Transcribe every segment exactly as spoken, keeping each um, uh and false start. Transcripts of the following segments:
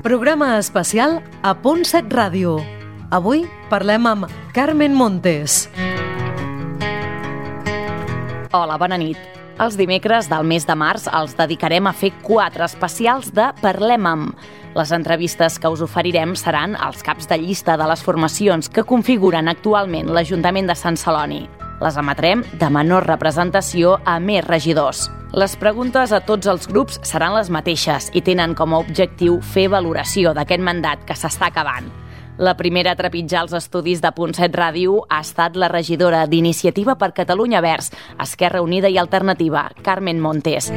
Programa especial a Punt set Ràdio. Avui parlem amb Carmen Montes. Hola, bona nit. Els dimecres del mes de març els dedicarem a fer quatre especials de Parlem amb. Les entrevistes que us oferirem seran els caps de llista de les formacions que configuren actualment l'Ajuntament de Sant Celoni. Les emetrem de menor representació a més regidors. Les preguntes a tots els grups seran les mateixes i tenen com a objectiu fer valoració d'aquest mandat que s'està acabant. La primera a trepitjar els estudis de Punt set Ràdio ha estat la regidora d'Iniciativa per Catalunya Verds, Esquerra Unida i Alternativa, Carmen Montes.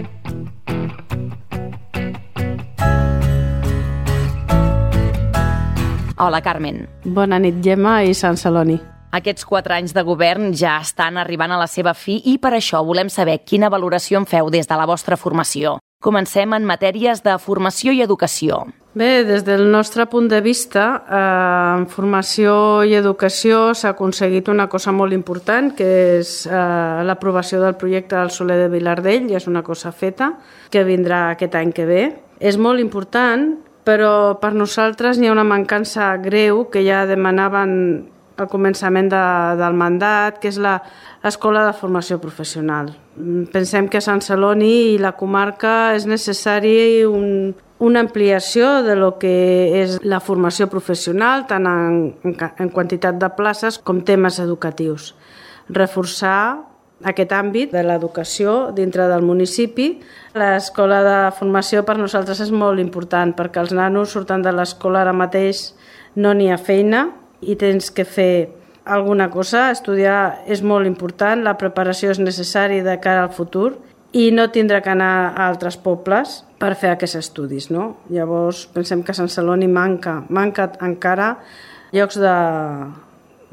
Hola, Carmen. Bona nit, Gemma i Sant Celoni. Aquests quatre anys de govern ja estan arribant a la seva fi i per això volem saber quina valoració en feu des de la vostra formació. Comencem en matèries de formació i educació. Bé, des del nostre punt de vista, eh, en formació i educació s'ha aconseguit una cosa molt important, que és eh, l'aprovació del projecte del Soler de Vilardell, i és una cosa feta, que vindrà aquest any que ve. És molt important, però per nosaltres n'hi ha una mancança greu que ja demanaven al començament de, del mandat, que és l'Escola de Formació Professional. Pensem que a Sant Celoni i la comarca és necessari un, una ampliació de lo que és la formació professional, tant en, en, en quantitat de places com temes educatius. Reforçar aquest àmbit de l'educació dintre del municipi. L'escola de formació per nosaltres és molt important perquè els nanos surten de l'escola ara mateix, no n'hi ha feina, i tens que fer alguna cosa, estudiar és molt important, la preparació és necessària de cara al futur i no tindrà que anar a altres pobles per fer aquests estudis, no? Llavors pensem que a Sant Celoni manca, manca encara llocs de,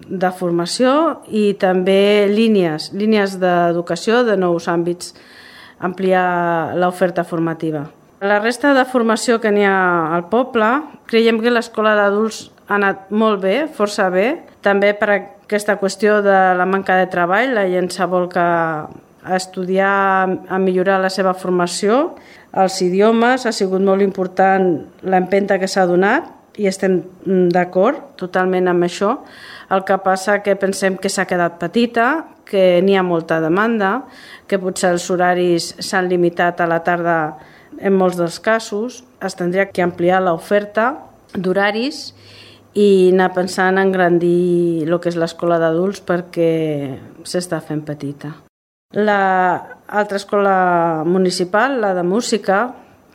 de formació i també línies, línies d'educació de nous àmbits, ampliar l'oferta formativa. La resta de formació que n'hi ha al poble, creiem que l'escola d'adults ha anat molt bé, força bé, també per aquesta qüestió de la manca de treball, la gent s'ha volcat a estudiar, a millorar la seva formació, els idiomes, ha sigut molt important l'empenta que s'ha donat i estem d'acord totalment amb això. El que passa que pensem que s'ha quedat petita, que n'hi ha molta demanda, que potser els horaris s'han limitat a la tarda en molts dels casos, es tindria que ampliar l'oferta d'horaris i anar pensant en engrandir el que és l'escola d'adults perquè s'està fent petita. L'altra escola municipal, la de música,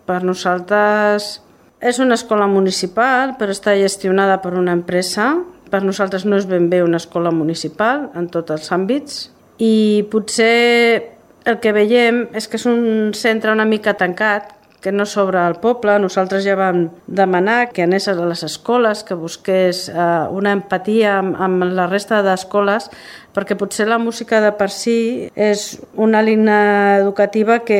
per nosaltres és una escola municipal però està gestionada per una empresa. Per nosaltres no és ben bé una escola municipal en tots els àmbits i potser el que veiem és que és un centre una mica tancat, que no s'obre al poble. Nosaltres ja vam demanar que anés a les escoles, que busqués eh, una empatia amb, amb la resta d'escoles, perquè potser la música de per si és una línia educativa que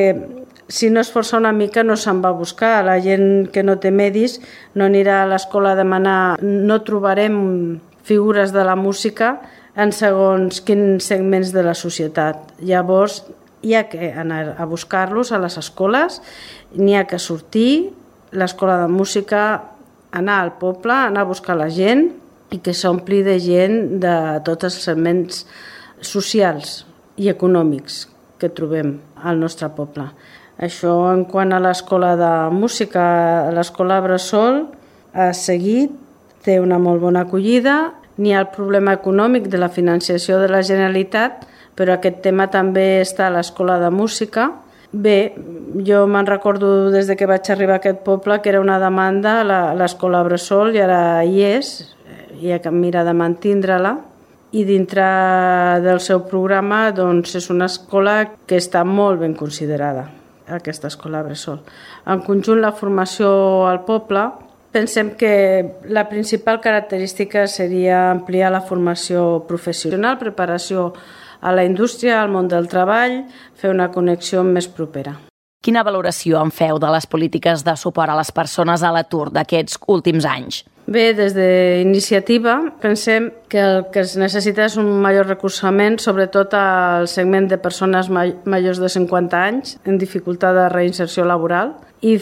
si no es força una mica no se'n va a buscar. La gent que no té medis no anirà a l'escola a demanar, no trobarem figures de la música en segons quins segments de la societat. Llavors hi ha que anar a buscar-los a les escoles, n'hi ha que sortir, l'escola de música, anar al poble, anar a buscar la gent i que s'ompli de gent de tots els segments socials i econòmics que trobem al nostre poble. Això en quant a l'escola de música, l'escola Bressol ha seguit, té una molt bona acollida, n'hi ha el problema econòmic de la financiació de la Generalitat, però aquest tema també està a l'escola de música. Bé, jo me'n recordo des de que vaig arribar a aquest poble que era una demanda a l'escola Bressol i ara hi és, hi ha que mirar de mantindre-la i dintre del seu programa doncs, és una escola que està molt ben considerada, aquesta escola Bressol. En conjunt, la formació al poble, pensem que la principal característica seria ampliar la formació professional, preparació a la indústria, al món del treball, fer una connexió més propera. Quina valoració en feu de les polítiques de suport a les persones a l'atur d'aquests últims anys? Bé, des d'Iniciativa pensem que el que es necessita és un major recolzament, sobretot al segment de persones majors de cinquanta anys en dificultat de reinserció laboral i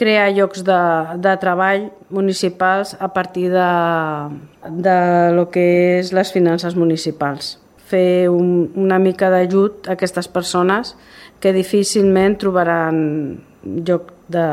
crear llocs de, de treball municipals a partir de, de lo que és les finances municipals. Fer un, una mica d'ajut a aquestes persones que difícilment trobaran lloc de,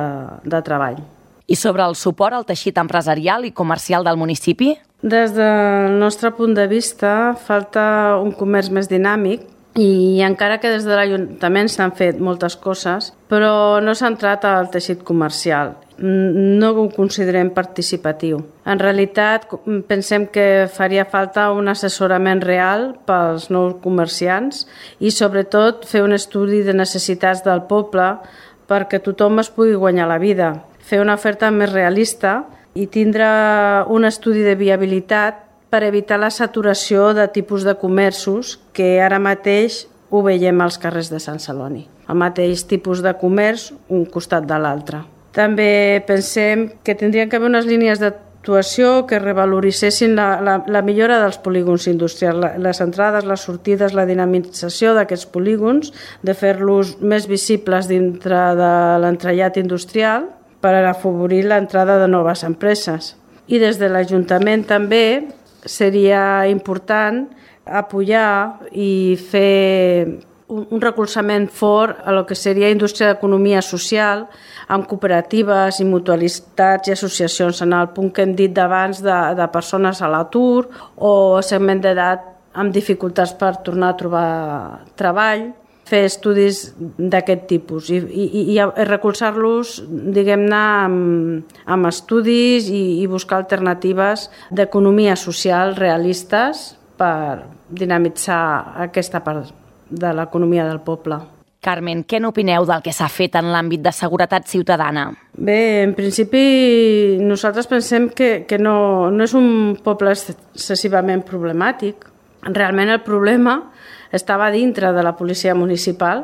de treball. I sobre el suport al teixit empresarial i comercial del municipi? Des del nostre punt de vista, falta un comerç més dinàmic i encara que des de l'Ajuntament s'han fet moltes coses, però no s'ha entrat al teixit comercial. No ho considerem participatiu. En realitat, pensem que faria falta un assessorament real pels nous comerciants i, sobretot, fer un estudi de necessitats del poble perquè tothom es pugui guanyar la vida. Fer una oferta més realista i tindre un estudi de viabilitat per evitar la saturació de tipus de comerços que ara mateix ho veiem als carrers de Sant Celoni. El mateix tipus de comerç, un costat de l'altre. També pensem que tindrien que haver unes línies d'actuació que revaloritzessin la, la, la millora dels polígons industrials, les entrades, les sortides, la dinamització d'aquests polígons, de fer-los més visibles dintre de l'entrellat industrial per afavorir l'entrada de noves empreses. I des de l'Ajuntament també seria important apoyar i fer un recolzament fort a lo que seria indústria d'economia social amb cooperatives i mutualitats i associacions en el punt que hem dit d'abans de, de persones a l'atur o segment d'edat amb dificultats per tornar a trobar treball, fer estudis d'aquest tipus i, i, i recolzar-los, diguem-ne, amb, amb estudis i, i buscar alternatives d'economia social realistes per dinamitzar aquesta part de l'economia del poble. Carmen, què n'opineu del que s'ha fet en l'àmbit de seguretat ciutadana? Bé, en principi nosaltres pensem que, que no, no és un poble excessivament problemàtic. Realment el problema estava dintre de la policia municipal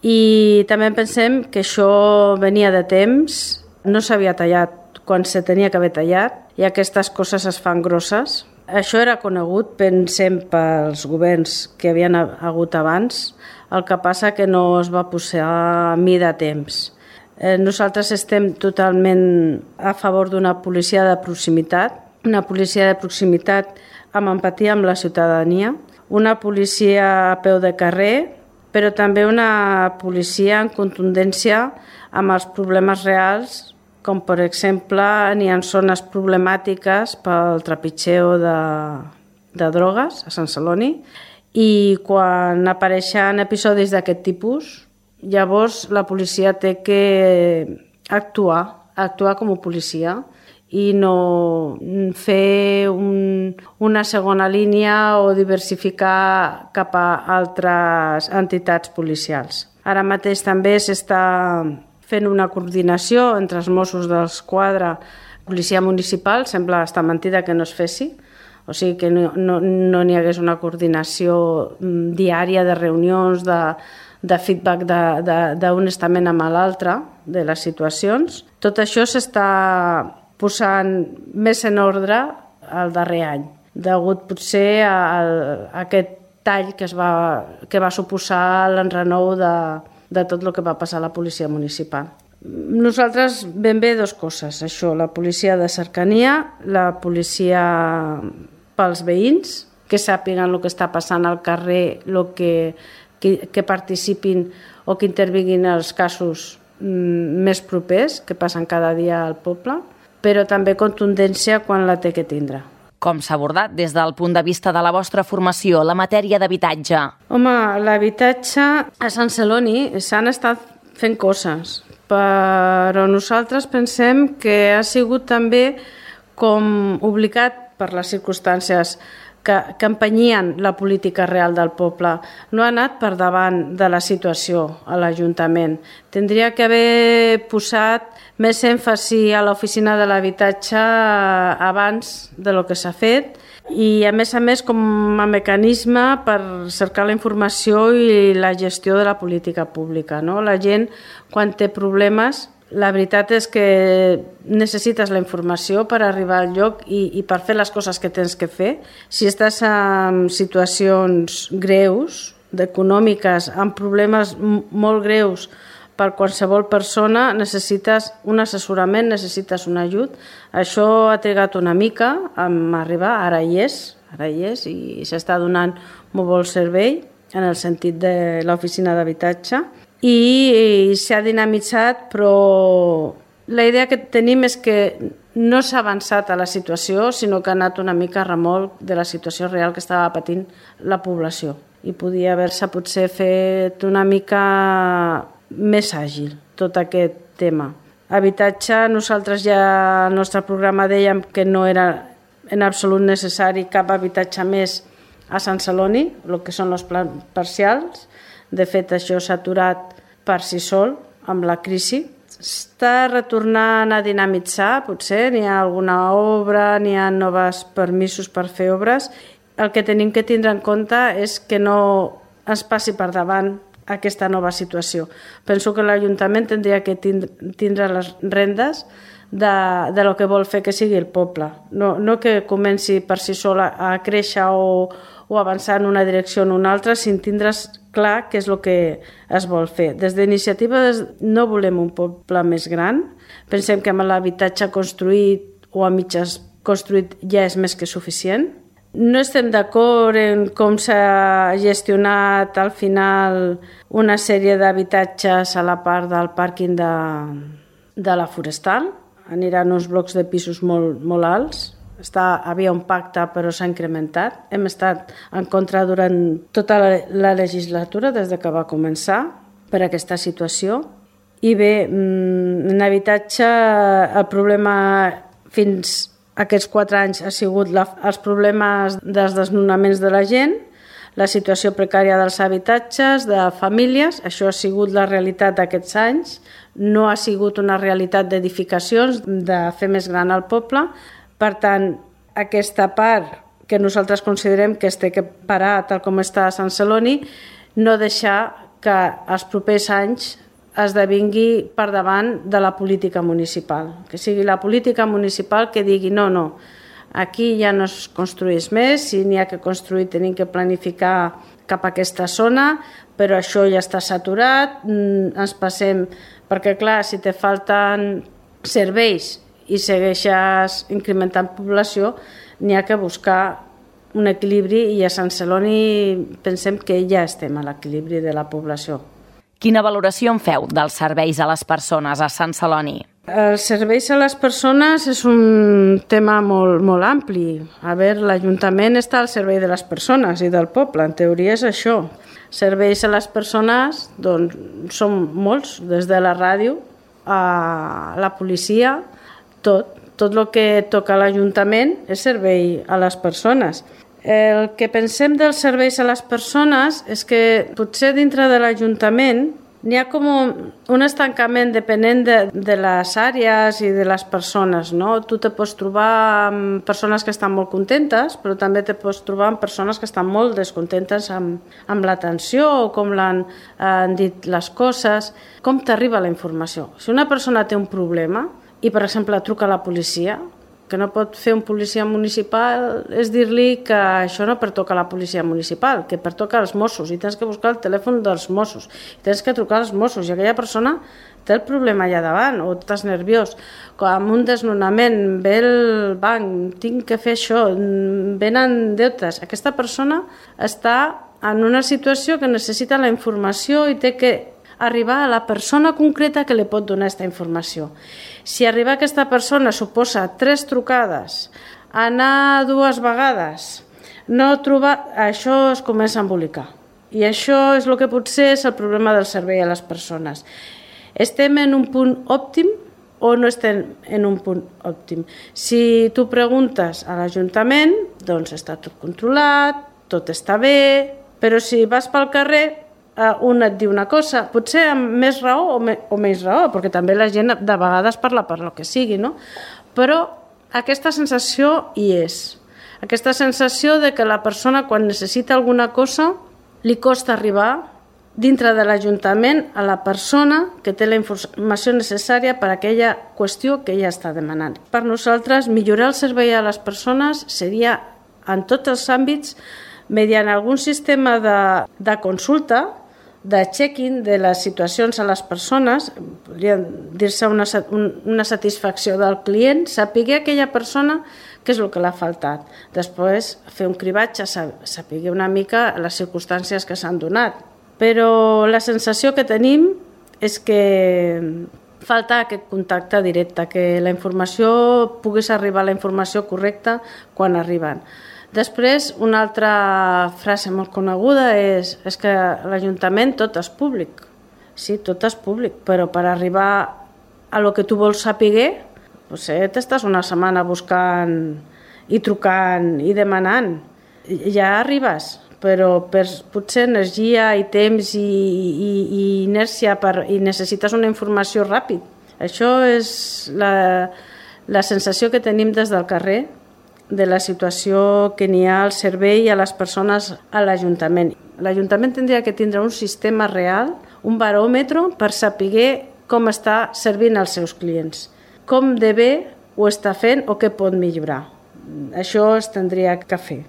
i també pensem que això venia de temps, no s'havia tallat quan se tenia que haver tallat i aquestes coses es fan grosses. Això era conegut, pensem, pels governs que havien hagut abans, el que passa que no es va posar a mi de temps. Nosaltres estem totalment a favor d'una policia de proximitat, una policia de proximitat amb empatia amb la ciutadania, una policia a peu de carrer, però també una policia en contundència amb els problemes reals, com per exemple n'hi ha zones problemàtiques pel trepitgeo de, de drogues a Sant Celoni i quan apareixen episodis d'aquest tipus, llavors la policia té que actuar, actuar com a policia i no fer un, una segona línia o diversificar cap a altres entitats policials. Ara mateix també s'està fent una coordinació entre els Mossos d'Esquadra i policia municipal, sembla estar mentida que no es fessi, o sigui que no, no, no n'hi hagués una coordinació diària de reunions, de, de feedback d'un estament amb l'altre de les situacions. Tot això s'està posant més en ordre el darrer any, degut potser a, a aquest tall que, es va, que va suposar l'enrenou de de tot el que va passar a la policia municipal. Nosaltres ben bé dues coses, això, la policia de cercania, la policia pels veïns, que sàpiguen el que està passant al carrer, el que, que, que participin o que intervinguin els casos més propers que passen cada dia al poble, però també contundència quan la té que tindre. Com s'ha abordat des del punt de vista de la vostra formació la matèria d'habitatge? Home, l'habitatge a Sant Celoni s'han estat fent coses, però nosaltres pensem que ha sigut també com obligat per les circumstàncies que, que empenyien la política real del poble. No ha anat per davant de la situació a l'Ajuntament. Tindria que haver posat més èmfasi a l'oficina de l'habitatge abans de lo que s'ha fet i, a més a més, com a mecanisme per cercar la informació i la gestió de la política pública, no? La gent, quan té problemes, la veritat és que necessites la informació per arribar al lloc i, i per fer les coses que tens que fer. Si estàs en situacions greus, econòmiques, amb problemes molt greus per qualsevol persona necessites un assessorament, necessites un ajut. Això ha trigat una mica a arribar, ara hi és, ara hi és i s'està donant molt bon servei en el sentit de l'oficina d'habitatge i s'ha dinamitzat, però la idea que tenim és que no s'ha avançat a la situació, sinó que ha anat una mica a remolc de la situació real que estava patint la població i podia haver-se potser fet una mica més àgil tot aquest tema. Habitatge, nosaltres ja al nostre programa dèiem que no era en absolut necessari cap habitatge més a Sant Celoni, el que són els plans parcials. De fet, això s'ha aturat per si sol amb la crisi. Està retornant a dinamitzar, potser, n'hi ha alguna obra, n'hi ha nous permisos per fer obres. El que tenim que tindre en compte és que no es passi per davant aquesta nova situació. Penso que l'Ajuntament tindria que tindre les rendes de, de lo que vol fer que sigui el poble. No, no que comenci per si sol a, a créixer o, o avançar en una direcció o en una altra, sin tindre's clar què és el que es vol fer. Des d'Iniciativa no volem un poble més gran. Pensem que amb l'habitatge construït o a mitges construït ja és més que suficient. No estem d'acord en com s'ha gestionat al final una sèrie d'habitatges a la part del pàrquing de, de la Forestal. Aniran uns blocs de pisos molt, molt alts. Està, havia un pacte però s'ha incrementat. Hem estat en contra durant tota la, la legislatura des de que va començar per aquesta situació. I bé, en habitatge el problema fins aquests quatre anys ha sigut la, els problemes dels desnonaments de la gent, la situació precària dels habitatges, de famílies. Això ha sigut la realitat d'aquests anys. No ha sigut una realitat d'edificacions, de fer més gran el poble. Per tant, aquesta part que nosaltres considerem que es té que parar tal com està a Sant Celoni, no deixar que els propers anys esdevingui per davant de la política municipal. Que sigui la política municipal que digui no, no, aquí ja no es construeix més, si n'hi ha que construir tenim que planificar cap a aquesta zona, però això ja està saturat, ens passem, perquè clar, si te falten serveis i segueixes incrementant població, n'hi ha que buscar un equilibri i a Sant Celoni pensem que ja estem a l'equilibri de la població. Quina valoració en feu dels serveis a les persones a Sant Celoni? Els serveis a les persones és un tema molt, molt ampli. A veure, l'Ajuntament està al servei de les persones i del poble, en teoria és això. Serveis a les persones, doncs, són molts, des de la ràdio a la policia, tot. Tot el que toca l'Ajuntament és servei a les persones. El que pensem dels serveis a les persones és que potser dintre de l'Ajuntament n'hi ha com un estancament depenent de, de les àrees i de les persones, no? Tu te pots trobar amb persones que estan molt contentes, però també te pots trobar amb persones que estan molt descontentes amb, amb l'atenció o com l'han han dit les coses. Com t'arriba la informació? Si una persona té un problema i, per exemple, truca a la policia, que no pot fer un policia municipal és dir-li que això no pertoca a la policia municipal, que pertoca als Mossos i tens que buscar el telèfon dels Mossos i tens que trucar als Mossos i aquella persona té el problema allà davant o estàs nerviós. Amb un desnonament ve el banc, tinc que fer això, venen deutes. Aquesta persona està en una situació que necessita la informació i té que arribar a la persona concreta que li pot donar aquesta informació. Si arribar a aquesta persona suposa tres trucades, anar dues vegades, no trobar, això es comença a embolicar. I això és el que potser és el problema del servei a les persones. Estem en un punt òptim o no estem en un punt òptim? Si tu preguntes a l'Ajuntament, doncs està tot controlat, tot està bé, però si vas pel carrer, un et diu una cosa, potser amb més raó o, me, o menys raó, perquè també la gent de vegades parla per lo que sigui, no? Però aquesta sensació hi és. Aquesta sensació de que la persona quan necessita alguna cosa li costa arribar dintre de l'Ajuntament a la persona que té la informació necessària per a aquella qüestió que ella està demanant. Per nosaltres, millorar el servei a les persones seria en tots els àmbits mediant algun sistema de, de consulta de check-in de les situacions a les persones, podria dir-se una, una satisfacció del client, saber aquella persona què és el que l'ha faltat. Després, fer un cribatge, saber una mica les circumstàncies que s'han donat. Però la sensació que tenim és que falta aquest contacte directe, que la informació pogués arribar a la informació correcta quan arriben. Després, una altra frase molt coneguda és, és que l'Ajuntament tot és públic. Sí, tot és públic, però per arribar a lo que tu vols saber, potser t'estàs una setmana buscant i trucant i demanant. Ja arribes, però per potser energia i temps i, i, i inèrcia per, i necessites una informació ràpid. Això és la, la sensació que tenim des del carrer, de la situació que n'hi ha al servei a les persones a l'Ajuntament. L'Ajuntament tindria que tindre un sistema real, un baròmetre per saber com està servint als seus clients, com de bé ho està fent o què pot millorar. Això es tindria que fer.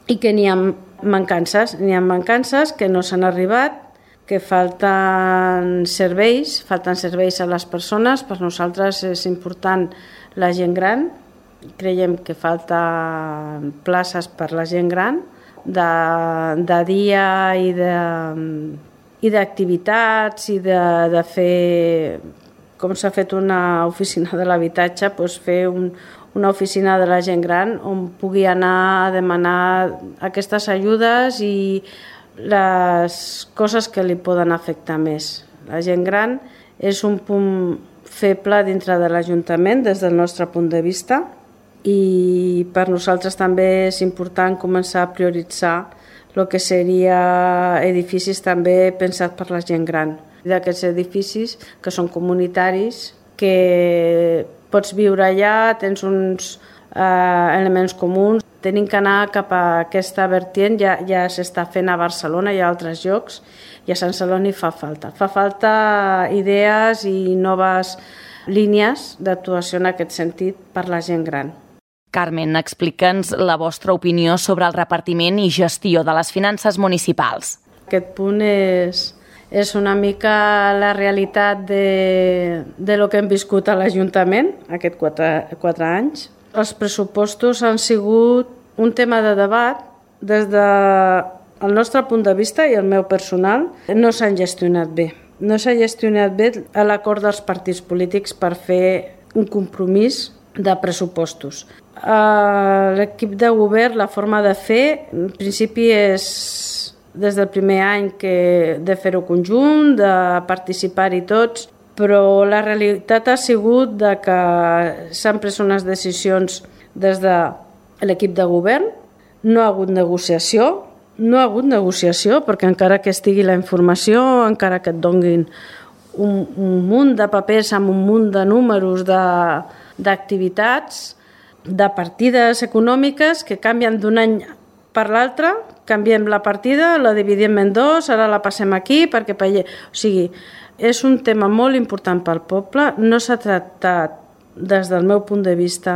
I que n'hi ha mancances, n'hi ha mancances que no s'han arribat, que falten serveis, falten serveis a les persones. Per nosaltres és important la gent gran. Creiem que falta places per la gent gran de, de dia i de, i d'activitats i de, de fer, com s'ha fet una oficina de l'habitatge, doncs fer un, una oficina de la gent gran on pugui anar a demanar aquestes ajudes i les coses que li poden afectar més. La gent gran és un punt feble dintre de l'Ajuntament des del nostre punt de vista, i per nosaltres també és important començar a prioritzar el que seria edificis també pensats per la gent gran. D'aquests edificis que són comunitaris, que pots viure allà, tens uns eh, elements comuns. Tenim que anar cap a aquesta vertient, ja, ja s'està fent a Barcelona i a altres llocs, i a Sant Celoni fa falta. Fa falta idees i noves línies d'actuació en aquest sentit per la gent gran. Carmen, explica'ns la vostra opinió sobre el repartiment i gestió de les finances municipals. Aquest punt és, és una mica la realitat de, de lo que hem viscut a l'Ajuntament aquests quatre, quatre anys. Els pressupostos han sigut un tema de debat des del nostre punt de vista i el meu personal. No s'han gestionat bé. No s'ha gestionat bé l'acord dels partits polítics per fer un compromís de pressupostos. L'equip de govern, la forma de fer, en principi és des del primer any que de fer-ho conjunt, de participar-hi tots, però la realitat ha sigut de que s'han pres unes decisions des de l'equip de govern, no ha hagut negociació, no ha hagut negociació perquè encara que estigui la informació, encara que et donguin un, un munt de papers amb un munt de números de, d'activitats, de partides econòmiques que canvien d'un any per l'altre, canviem la partida, la dividim en dos, ara la passem aquí perquè... O sigui, és un tema molt important pel poble, no s'ha tractat des del meu punt de vista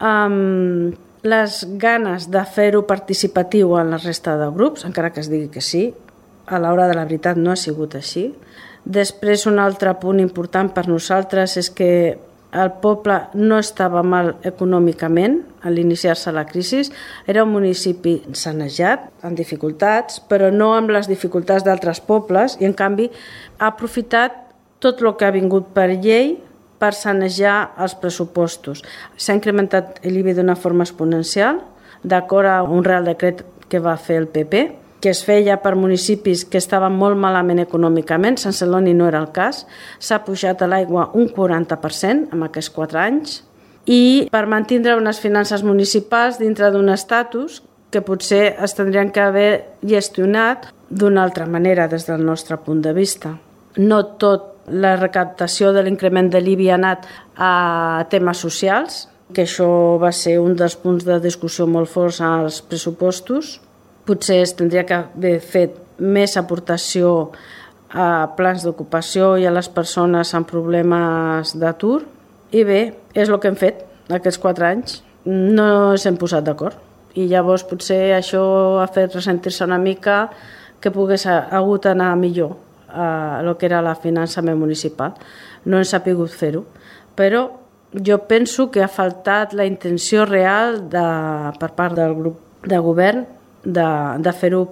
amb les ganes de fer-ho participatiu en la resta de grups, encara que es digui que sí, a l'hora de la veritat no ha sigut així. Després, un altre punt important per nosaltres és que el poble no estava mal econòmicament a l'iniciar-se la crisi. Era un municipi sanejat, amb dificultats, però no amb les dificultats d'altres pobles, i en canvi ha aprofitat tot el que ha vingut per llei per sanejar els pressupostos. S'ha incrementat l'I B I d'una forma exponencial, d'acord a un Real Decret que va fer el P P, que es feia per municipis que estaven molt malament econòmicament. Sant Celoni no era el cas. S'ha pujat a l'aigua un quaranta per cent en aquests quatre anys, i per mantindre unes finances municipals dintre d'un estatus que potser es tindrien que haver gestionat d'una altra manera des del nostre punt de vista. No tot la recaptació de l'increment de l'I B I ha anat a temes socials, que això va ser un dels punts de discussió molt forts als pressupostos. Potser es tindria que haver fet més aportació a plans d'ocupació i a les persones amb problemes d'atur. I bé, és el que hem fet aquests quatre anys. No s'hem posat d'acord. I llavors potser això ha fet ressentir-se una mica que pogués hagut anar millor eh, el que era el finançament municipal. No hem sabut fer-ho, però jo penso que ha faltat la intenció real de, per part del grup de govern de, de fer-ho.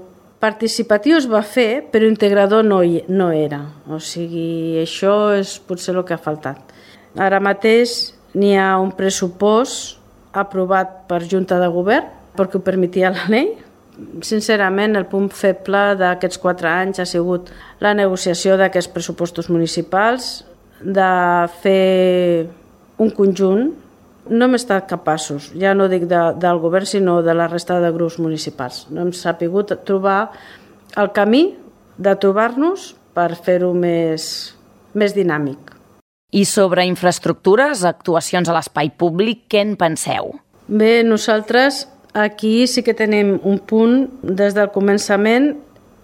Participatiu es va fer, però integrador no, hi, no era. O sigui, això és potser el que ha faltat. Ara mateix n'hi ha un pressupost aprovat per Junta de Govern perquè ho permetia la llei. Sincerament, el punt feble d'aquests quatre anys ha sigut la negociació d'aquests pressupostos municipals, de fer un conjunt. No hem estat capaços, ja no dic de, del govern, sinó de la resta de grups municipals. No hem sabut trobar el camí de trobar-nos per fer-ho més, més dinàmic. I sobre infraestructures, actuacions a l'espai públic, què en penseu? Bé, nosaltres aquí sí que tenim un punt des del començament.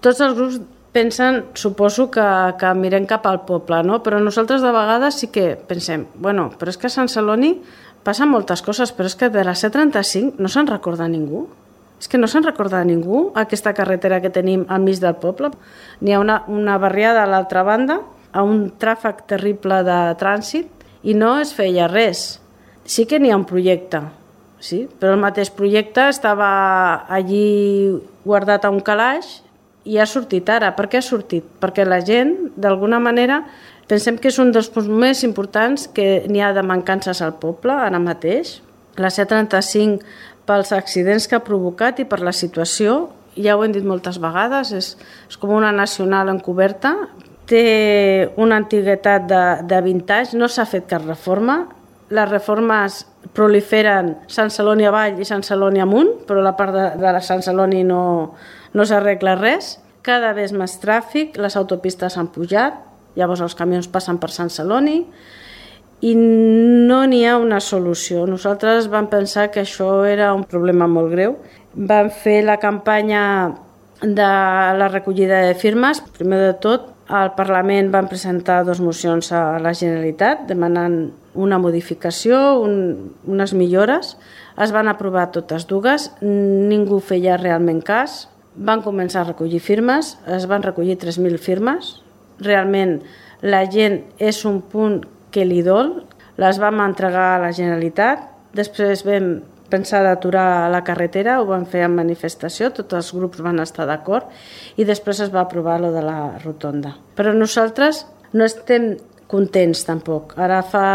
Tots els grups pensen, suposo, que, que mirem cap al poble, no? Però nosaltres de vegades sí que pensem, bueno, però és que a Sant Celoni passen moltes coses, però és que de la C trenta-cinc no se'n recorda ningú. És que no se'n recorda ningú aquesta carretera que tenim al mig del poble. N'hi ha una, una barriada a l'altra banda, a un tràfic terrible de trànsit, i no es feia res. Sí que n'hi ha un projecte, sí, però el mateix projecte estava allí guardat a un calaix i ha sortit ara. Per què ha sortit? Perquè la gent, d'alguna manera, pensem que és un dels punts més importants que n'hi ha de mancances al poble ara mateix. La C trenta-cinc, pels accidents que ha provocat i per la situació, ja ho hem dit moltes vegades, és, és com una nacional encoberta, té una antiguitat de, de vint anys, no s'ha fet cap reforma, les reformes proliferen Sant Celoni avall i Sant Celoni amunt, però la part de, de la Sant Celoni no, no s'arregla res, cada vegada més tràfic, les autopistes han pujat, llavors els camions passen per Sant Celoni i no n'hi ha una solució. Nosaltres vam pensar que això era un problema molt greu. Vam fer la campanya de la recollida de firmes. Primer de tot, al Parlament van presentar dues mocions a la Generalitat demanant una modificació, un, unes millores. Es van aprovar totes dues, ningú feia realment cas. Van començar a recollir firmes, es van recollir tres mil firmes. Realment la gent és un punt que li dol, les vam entregar a la Generalitat, després vam pensar d'aturar la carretera, ho van fer en manifestació, tots els grups van estar d'acord i després es va aprovar lo de la rotonda. Però nosaltres no estem contents tampoc. Ara fa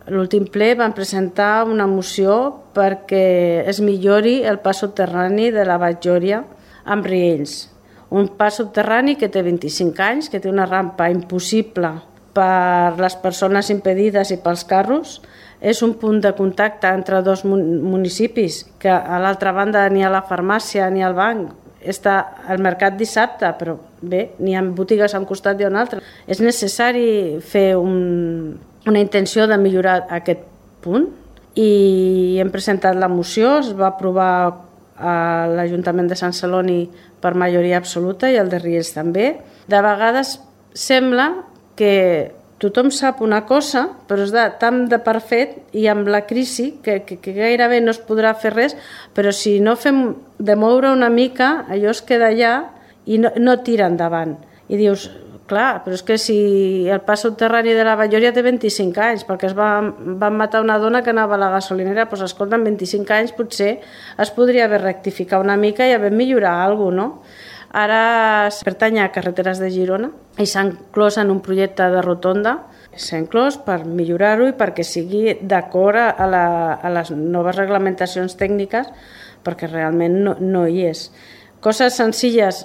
l'últim ple van presentar una moció perquè es millori el pas subterrani de la Batllòria amb Riells. Un pas subterrani que té vint-i-cinc anys, que té una rampa impossible per les persones impedides i pels carros. És un punt de contacte entre dos municipis, que a l'altra banda ni a la farmàcia ni al banc. Està al mercat dissabte, però bé, n'hi ha botigues a un costat i a un altre. És necessari fer un, una intenció de millorar aquest punt i hem presentat la moció, es va aprovar a l'Ajuntament de Sant Celoni per majoria absoluta i el de Riells també. De vegades sembla que tothom sap una cosa, però és de, tan de perfet i amb la crisi que, que, que gairebé no es podrà fer res, però si no fem de moure una mica, allò es queda allà i no, no tira endavant. I dius, clar, però és que si el pas subterrani de la Batllòria té vint-i-cinc anys, perquè es va, van matar una dona que anava a la gasolinera, doncs escolta, en vint-i-cinc anys potser es podria haver rectificat una mica i haver millorat alguna cosa, no? Ara pertany a Carreteres de Girona i s'ha inclòs en un projecte de rotonda. S'ha inclòs per millorar-ho i perquè sigui d'acord a, la, a les noves reglamentacions tècniques, perquè realment no, no hi és. Coses senzilles,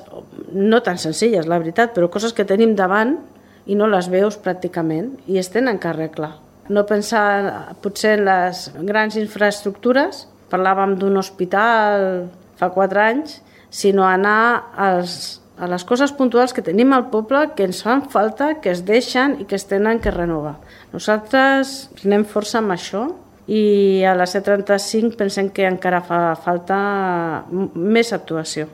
no tan senzilles, la veritat, però coses que tenim davant i no les veus pràcticament i es tenen que arreglar. No pensar potser en les grans infraestructures, parlàvem d'un hospital fa quatre anys, sinó anar als, a les coses puntuals que tenim al poble, que ens fan falta, que es deixen i que es tenen que renovar. Nosaltres anem força amb això i a la C trenta-cinc pensem que encara fa falta més actuació.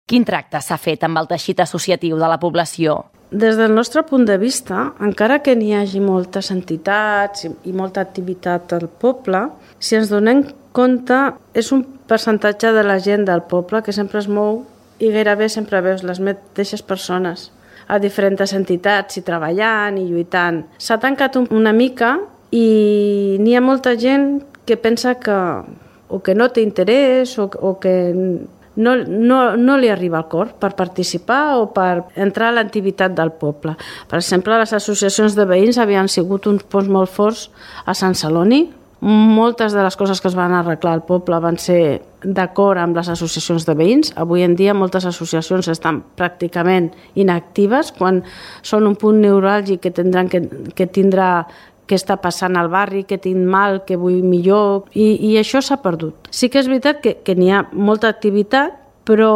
Quin tracte s'ha fet amb el teixit associatiu de la població? Des del nostre punt de vista, encara que n'hi hagi moltes entitats i molta activitat al poble, si ens donem compte, és un percentatge de la gent del poble que sempre es mou i gairebé sempre veus les mateixes persones. a diferents entitats i treballant i lluitant. S'ha tancat una mica i n'hi ha molta gent que pensa que o que no té interès o, o que no, no, no li arriba al cor per participar o per entrar a l'activitat del poble. Per exemple, les associacions de veïns havien sigut uns punts molt forts a Sant Celoni. Moltes de les coses que es van arreglar al poble van ser d'acord amb les associacions de veïns. Avui en dia moltes associacions estan pràcticament inactives quan són un punt neuràlgic que tindran que, que tindrà què està passant al barri, què tinc mal, què vull millor, i, i això s'ha perdut. Sí que és veritat que, que n'hi ha molta activitat, però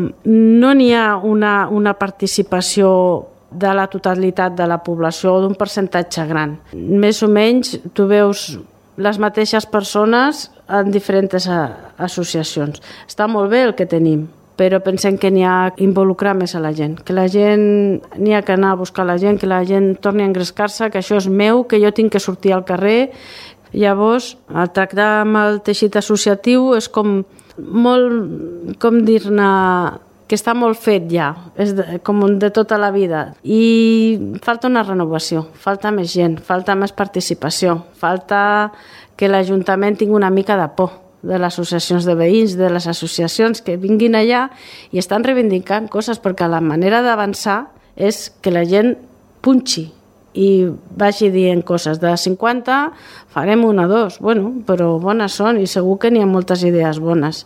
no n'hi ha una, una participació de la totalitat de la població o d'un percentatge gran. Més o menys tu veus les mateixes persones en diferents associacions. Està molt bé el que tenim, però pensem que n'hi ha que involucrar més a la gent, que la gent n'hi ha que anar a buscar la gent, que la gent torni a engrescar-se, que això és meu, que jo tinc que sortir al carrer. Llavors, el tractar amb el teixit associatiu és com molt, com dir-ne, que està molt fet ja, és de, com de tota la vida. I falta una renovació, falta més gent, falta més participació, falta que l'Ajuntament tingui una mica de por de les associacions de veïns, de les associacions que vinguin allà i estan reivindicant coses, perquè la manera d'avançar és que la gent punxi i vagi dient coses. De cinquanta farem una o dos, bueno, però bones són i segur que n'hi ha moltes idees bones.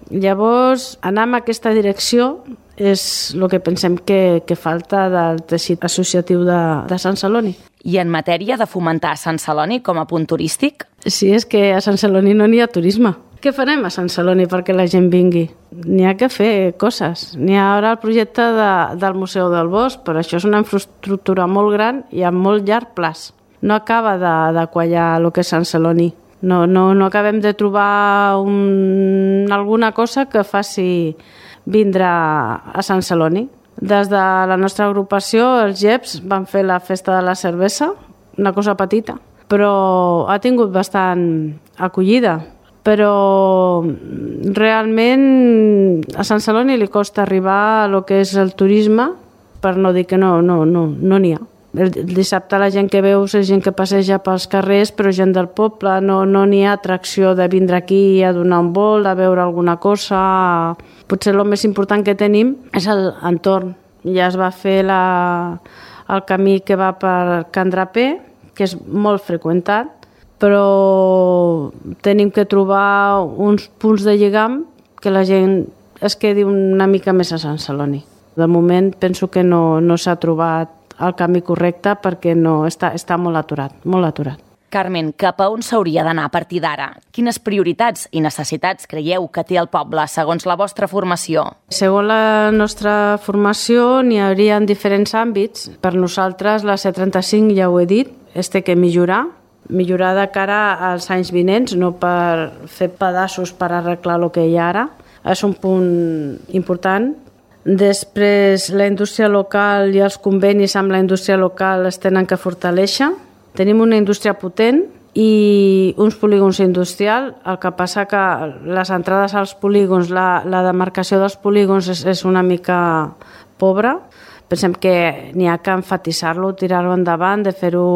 Llavors, anar en aquesta direcció és el que pensem que, que falta del teixit associatiu de, de Sant Celoni. I en matèria de fomentar Sant Celoni com a punt turístic? Sí, és que a Sant Celoni no n'hi ha turisme. Què farem a Sant Celoni perquè la gent vingui? N'hi ha que fer coses. N'hi ha ara el projecte de, del Museu del Bosc, però això és una infraestructura molt gran i a molt llarg plaç. No acaba de, de quallar el que és Sant Celoni. No, no, no acabem de trobar un, alguna cosa que faci vindre a Sant Celoni. Des de la nostra agrupació, els G E P S, van fer la festa de la cervesa, una cosa petita, però ha tingut bastant acollida. Però realment a Sant Celoni li costa arribar a lo que és el turisme, per no dir que no no, no, no n'hi ha. El dissabte la gent que veus és gent que passeja pels carrers, però gent del poble, no no n'hi ha atracció de vindre aquí a donar un volt, a veure alguna cosa. Potser el més important que tenim és l'entorn. Ja es va fer la, el camí que va per Can Draper, que és molt freqüentat, però tenim que trobar uns punts de lligam que la gent es quedi una mica més a Sant Celoni. De moment penso que no, no s'ha trobat el camí correcte perquè no, està, està molt aturat, molt aturat. Carmen, cap a on s'hauria d'anar a partir d'ara? Quines prioritats i necessitats creieu que té el poble, segons la vostra formació? Segons la nostra formació, n'hi hauria en diferents àmbits. Per nosaltres, la C trenta-cinc, ja ho he dit, es té que millorar, millorar de cara als anys vinents, no per fer pedaços per arreglar el que hi ha ara. És un punt important. Després, la indústria local i els convenis amb la indústria local es tenen que fortalèixer. Tenim una indústria potent i uns polígons industrials. El que passa que les entrades als polígons, la, la demarcació dels polígons és, és una mica pobra. Pensem que n'hi ha que enfatitzar-lo, tirar-lo endavant, de fer-ho,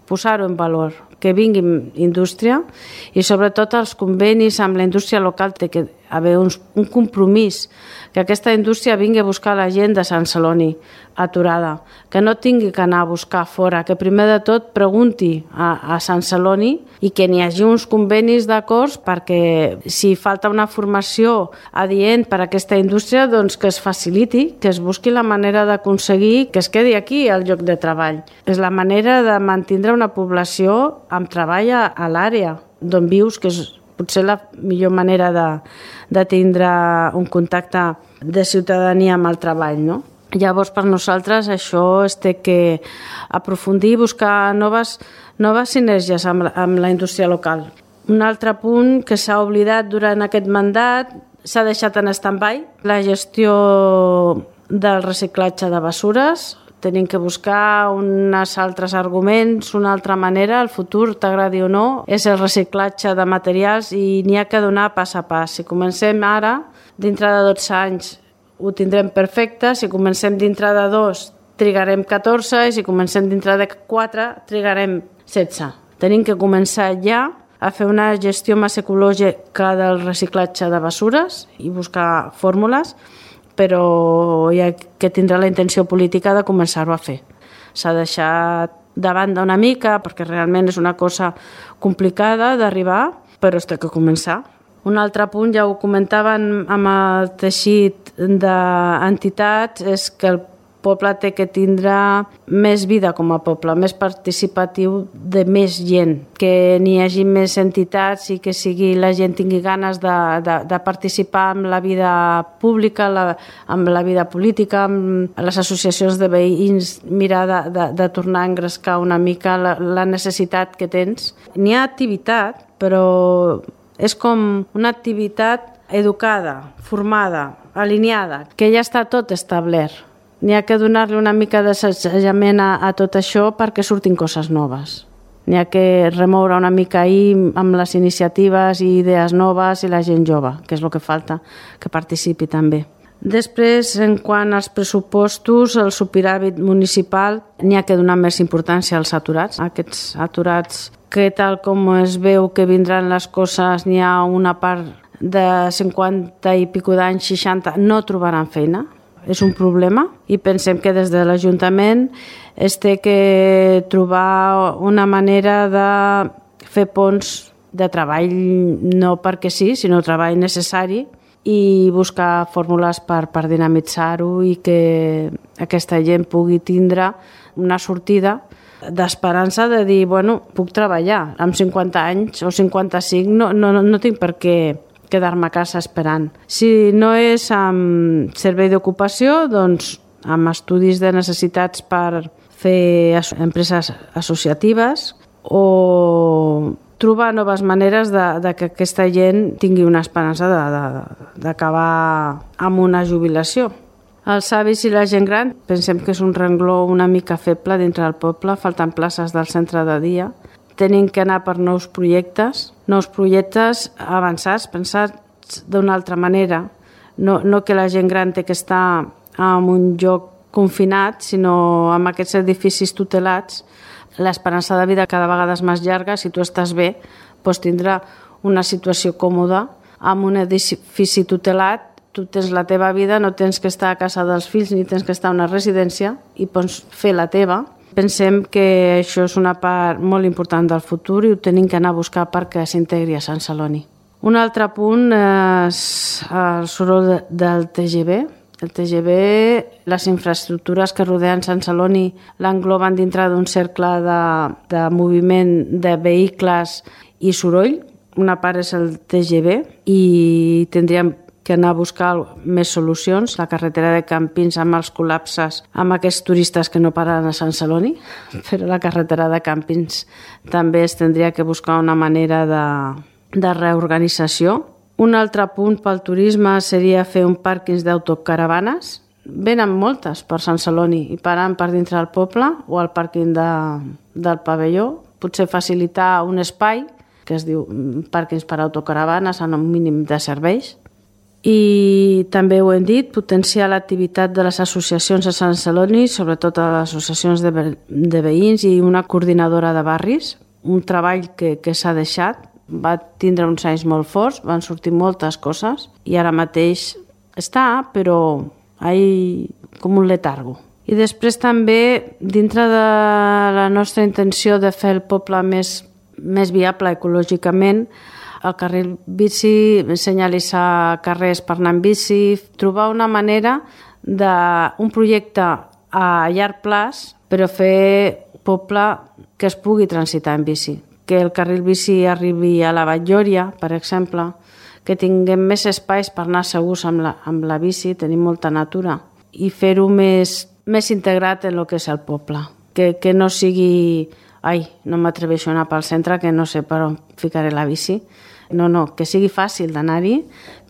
posar-ho en valor, que vingui indústria i sobretot els convenis amb la indústria local té que haver uns, un compromís, que aquesta indústria vingui a buscar la gent de Sant Celoni aturada, que no tingui que anar a buscar fora, que primer de tot pregunti a, a Sant Celoni i que n'hi hagi uns convenis d'acords perquè si falta una formació adient per a aquesta indústria, doncs que es faciliti, que es busqui la manera d'aconseguir que es quedi aquí al lloc de treball. És la manera de mantenir una població amb treball a, a l'àrea d'on vius, que és potser la millor manera de, de tindre un contacte de ciutadania amb el treball, no? Llavors, per nosaltres, això es té que aprofundir i buscar noves, noves sinergies amb, amb la indústria local. Un altre punt que s'ha oblidat durant aquest mandat, s'ha deixat en stand-by, la gestió del reciclatge de bessures. Tenim que buscar uns altres arguments, una altra manera. El futur, t'agradi o no, és el reciclatge de materials i n'hi ha que donar pas a pas. Si comencem ara, dintre de dotze anys, ho tindrem perfecte, si comencem dintre de dos trigarem catorze i si comencem dintre de quatre trigarem setze. Tenim que començar ja a fer una gestió més ecològica del reciclatge de bessures i buscar fórmules, però hi ha que tindrà la intenció política de començar-ho a fer. S'ha deixat de banda una mica perquè realment és una cosa complicada d'arribar, però es té que començar. Un altre punt, ja ho comentaven amb el teixit d'entitats, és que el poble té que tindre més vida com a poble, més participatiu de més gent, que n'hi hagi més entitats i que sigui, la gent tingui ganes de, de, de participar en la vida pública, la, amb la vida política, amb les associacions de veïns, mirar de, de, de tornar a engrescar una mica la, la necessitat que tens. N'hi ha activitat, però és com una activitat educada, formada, alineada, que ja està tot establert. N'hi ha que donar-li una mica d'assajament a, a tot això perquè surtin coses noves. N'hi ha que remoure una mica ahir amb les iniciatives i idees noves i la gent jove, que és el que falta, que participi també. Després, en quant als pressupostos, el superàvit municipal, n'hi ha que donar més importància als aturats. Aquests aturats que tal com es veu que vindran les coses, n'hi ha una part de cinquanta i pico d'anys, seixanta, no trobaran feina. És un problema i pensem que des de l'Ajuntament es té que trobar una manera de fer ponts de treball, no perquè sí, sinó treball necessari, i buscar fórmules per, per dinamitzar-ho i que aquesta gent pugui tindre una sortida d'esperança de dir, bueno, puc treballar amb cinquanta anys o cinquanta-cinc, no, no, no tinc per què quedar-me a casa esperant. Si no és amb servei d'ocupació, doncs amb estudis de necessitats per fer empreses associatives o trobar noves maneres de, de que aquesta gent tingui una esperança d'acabar amb una jubilació. Els avis i la gent gran pensem que és un rengló una mica feble dintre del poble, falten places del centre de dia. Tenim que anar per nous projectes, nous projectes avançats, pensats d'una altra manera. No, no que la gent gran té que estar en un lloc confinat, sinó amb aquests edificis tutelats. L'esperança de vida cada vegada és més llarga. Si tu estàs bé, pots tindre una situació còmoda. Amb un edifici tutelat, tu tens la teva vida, no tens que estar a casa dels fills ni tens que estar a una residència i pots fer la teva. Pensem que això és una part molt important del futur i ho tenim que anar a buscar perquè s'integri a Sant Celoni. Un altre punt és el soroll del T G V. El T G V, les infraestructures que rodeen Sant Celoni l'engloben dintre d'un cercle de, de moviment de vehicles i soroll. Una part és el T G V i tindríem que anar a buscar més solucions. La carretera de Campins amb els col·lapses, amb aquests turistes que no paren a Sant Celoni, però la carretera de Campins també es tindria que buscar una manera de, de reorganització. Un altre punt pel turisme seria fer un pàrquing d'autocaravanes. Venen moltes per Sant Celoni i paren per dintre del poble o al pàrquing de, del pavelló. Potser facilitar un espai que es diu pàrquings per autocaravanes en un mínim de serveis. I també ho hem dit, potenciar l'activitat de les associacions a Sant Celoni, sobretot a les associacions de, ve de veïns i una coordinadora de barris, un treball que, que s'ha deixat, va tindre uns anys molt forts, van sortir moltes coses i ara mateix està, però hi com un letargo. I després també, dintre de la nostra intenció de fer el poble més, més viable ecològicament, el carril bici, senyalitzar carrers per anar en bici, trobar una manera d'un projecte a llarg plaç, però fer poble que es pugui transitar en bici. Que el carril bici arribi a la Batllòria, per exemple, que tinguem més espais per anar segurs amb la, amb la bici, tenim molta natura, i fer-ho més, més integrat en el que és el poble. Que, que no sigui, ai, no m'atreveixo a anar pel centre, que no sé per on ficaré la bici. No, no, que sigui fàcil d'anar-hi,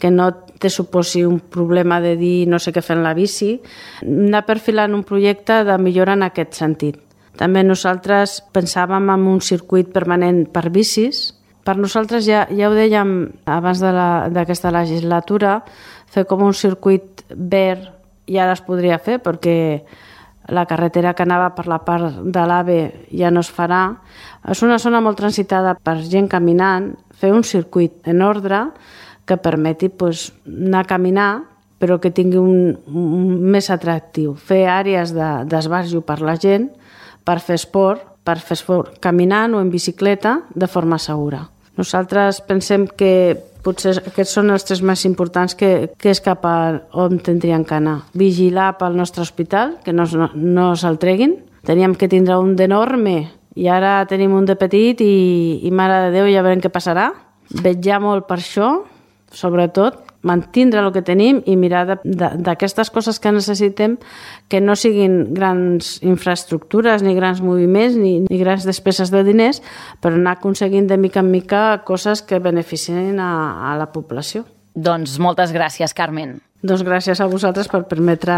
que no te suposi un problema de dir no sé què fer en la bici, anar perfilant un projecte de millora en aquest sentit. També nosaltres pensàvem en un circuit permanent per bicis. Per nosaltres, ja, ja ho dèiem abans d'aquesta legislatura, fer com un circuit verd ja es podria fer, perquè la carretera que anava per la part de l'AVE ja no es farà. És una zona molt transitada per gent caminant, fer un circuit en ordre que permeti pues, anar a caminar, però que tingui un, un més atractiu. Fer àrees d'esbarjo per la gent, per fer esport, per fer esport caminant o en bicicleta de forma segura. Nosaltres pensem que potser aquests són els tres més importants que, que és cap a on tindrien que anar. Vigilar pel nostre hospital, que no, no, no se'l treguin. Teníem que tindre un d'enorme i ara tenim un de petit i, i mare de Déu, ja veurem què passarà. Vetllar molt per això, sobretot, mantindre el que tenim i mirar d'aquestes coses que necessitem que no siguin grans infraestructures, ni grans moviments, ni, ni grans despeses de diners, però anar aconseguint de mica en mica coses que beneficien a, a la població. Doncs moltes gràcies, Carmen. Doncs gràcies a vosaltres per permetre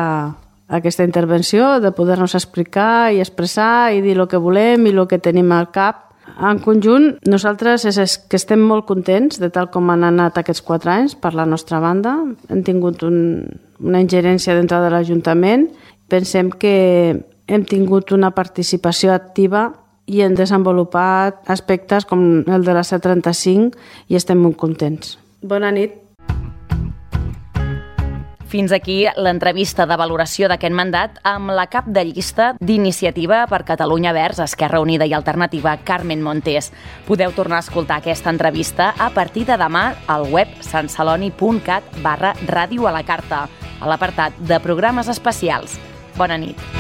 aquesta intervenció, de poder-nos explicar i expressar i dir el que volem i el que tenim al cap. En conjunt, nosaltres és que estem molt contents de tal com han anat aquests quatre anys per la nostra banda. Hem tingut un, una ingerència dintre de l'Ajuntament. Pensem que hem tingut una participació activa i hem desenvolupat aspectes com el de la C trenta-cinc i estem molt contents. Bona nit. Fins aquí l'entrevista de valoració d'aquest mandat amb la cap de llista d'Iniciativa per Catalunya Verds, Esquerra Unida i Alternativa, Carmen Montés. Podeu tornar a escoltar aquesta entrevista a partir de demà al web santceloni.cat barra ràdio a la carta, a l'apartat de programes especials. Bona nit.